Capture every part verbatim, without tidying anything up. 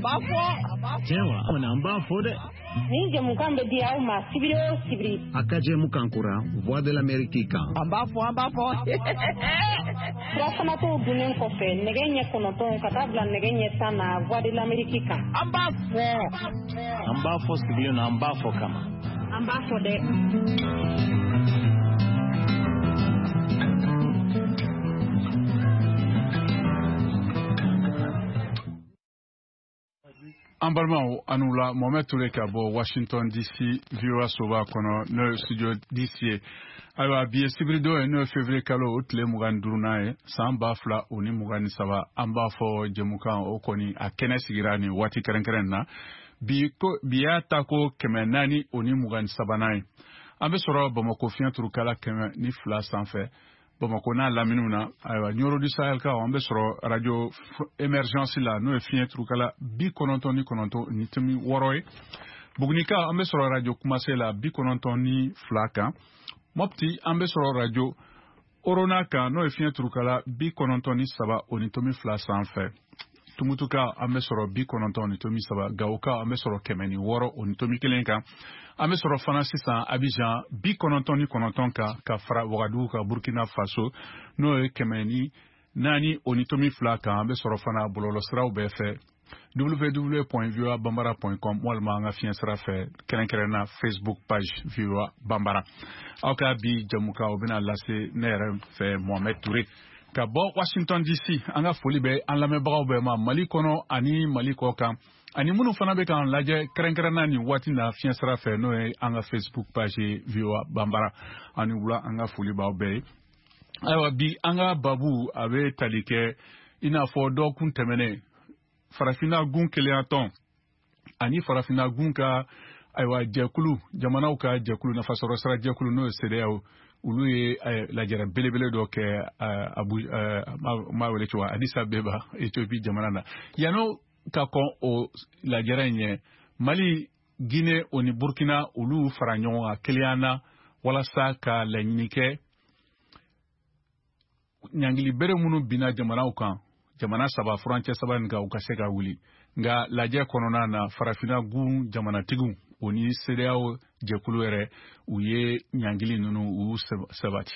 b'a fɔ. Tiɲɛ wa, an b'a fɔ dɛ. Nin jɛmukan bɛ di aw ma sibiri o sibiri. A ka jɛmukan kura Voix de l'Amérique kan. An b'a fɔ, an b'a fɔ. Furafanatɔw dunnen kɔfɛ nɛgɛ ɲɛ kɔnɔntɔn ka taa bila nɛgɛ ɲɛ tan na Voix de l'Amérique kan. An b'a fɔ. An b'a fɔ sigilen na, an b'a fɔ kama. An b'a fɔ dɛ. An balimaw, an la Mohamed Touré ka bɔ Washington D C V O A soba kɔnɔ, n'o ye studio D C ye. Ayiwa, bi ye sibiridon ye, n'o ye février kalo o tile mugan ni duurunan ye, san ba fila o ni mugan ni saba. An b'a fɔ jɛmukan o kɔni a kɛnɛ sigira nin waati kɛrɛnkɛrɛn na. Bi ko bi y'a ta ko kɛmɛ naani o ni mugan ni sabanan ye. An bɛ sɔrɔ Bamakɔ fiɲɛ turukala kɛmɛ ni fila sanfɛ. Bamakɔ n'a laminiw na, ayiwa, Nioro du Sahel kaw, an bɛ sɔrɔ radio Emergence la, n'o ye fiɲɛ turukala bi kɔnɔntɔn ni kɔnɔntɔn ni tomi wɔɔrɔ ye. Bugunika, an bɛ sɔrɔ radio Kumase la bi kɔnɔntɔn ni fila kan. Mopti, an bɛ sɔrɔ radio Orona kan, n'o ye fiɲɛ turukala bi kɔnɔntɔn ni saba o ni tomi fila sanfɛ. Tumutuka, an bɛ sɔrɔ bi kɔnɔntɔn ni tomi saba. Gawoka, an bɛ sɔrɔ kɛmɛ ni wɔɔrɔ o ni tomi kelen kan. An bɛ sɔrɔ fana sisan Abidjan bi kɔnɔntɔn ni kɔnɔntɔn kan, ka fara Wagadugu kan, Burkina Faso, n'o ye kɛmɛ ni naani o ni tomi fila kan. An bɛ sɔrɔ fana bɔlɔlɔsiraw bɛɛ fɛ, w w w point voa bambara point com, walima an ka fiɲɛ sira fɛ, kɛrɛnkɛrɛnna Facebook page V O A Bambara. Aw ka bi jɛmukan o bɛna lase ne yɛrɛ fɛ, Mohamed Touré ka bɔ Washington D C. An ka foli bɛ an lamɛnbagaw bɛɛ ma Mali kɔnɔ ani Mali kɔ kan, ani minnu fana bɛ k'an lajɛ kɛrɛnkɛrɛnna nin waati na fiɲɛ sira fɛ, n'o ye an ka Facebook page V O A Bambara. Ani wula, an ka foli b'aw bɛɛ ye. Ayiwa, bi an ka babu a bɛ tali kɛ i n'a fɔ dɔgɔkun tɛmɛnen, Farafinna gun kelenya tɔn ani Farafinna gun ka ayiwa jɛkulu, jamanaw ka jɛkulu, nafasɔrɔ sira jɛkulu, n'o ye CEDEAO, olu ye lajɛrɛ belebele dɔ kɛ Abu ma wele cogo Addis Abeba, Ethiopie jamana na. Yan'o ka kɔn o lajɛrɛ in ɲɛ, Mali, Guinée o ni Burkina, olu fara ɲɔgɔn kan kelenya na walasa ka laɲini kɛ ɲangili bere minnu binna jamanaw kan, jamana saba furancɛ saba nin kan, u ka se ka wuli. Nka lajɛ kɔnɔna na, Farafinna gun jamanatigiw o ni CEDEAO jɛkulu yɛrɛ, u ye ɲangili ninnu u sabati.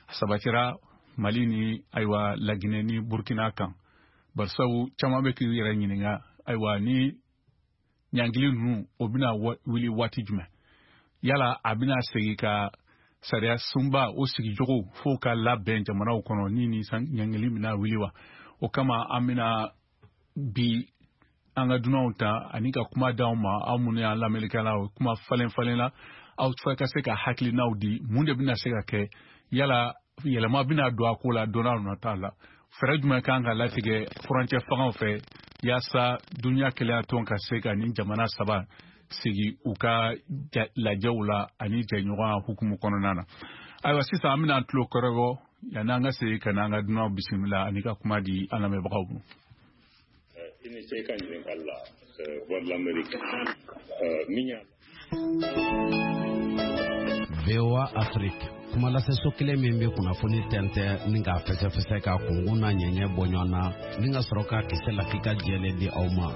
A sabatira Mali ni ayiwa Laginɛ ni Burkina kan. Barisabu caman bɛ k'i yɛrɛ ɲininka, ayiwa, ni ɲangili ninnu o bɛna wuli waati jumɛn? Yala a bɛna segin ka sariya sunba o sigicogo fo ka labɛn jamanaw kɔnɔ ni ni ɲangili bɛna wuli wa? O kama an bɛna bi an ka dunanw ta ani ka kuma d'aw ma, aw minnu y'an lamɛnnikɛlaw, kuma falen falen la, aw ka se ka hakilinaw di, mun de bɛna se ka kɛ, yala yɛlɛma bɛna don a ko la don n'a nata la, fɛɛrɛ jumɛn kan ka latigɛ furancɛ fangaw fɛ yaasa dunuya kelenya tɔn ka se ka nin jamana saba sigi u ka lajɛw la ani jɛɲɔgɔnya hukumu kɔnɔna na. Ayiwa, sisan an bɛna an tulo kɔrɔbɔ yanni an ka segin ka na an ka dunanw bisimila ani ka kuma di an lamɛnbagaw ma. I ni ce i ka ɲininkali la Voix de l'Amérique min y'a V O A Afrique, kuma lase so kelen min bɛ kunnafoni tɛntɛn ni k'a fɛsɛfɛsɛ k'a kunkun n'a ɲɛɲɛ bɔ ɲɔgɔn na ni ka sɔrɔ k'a kisɛ lakika jɛlen di aw ma.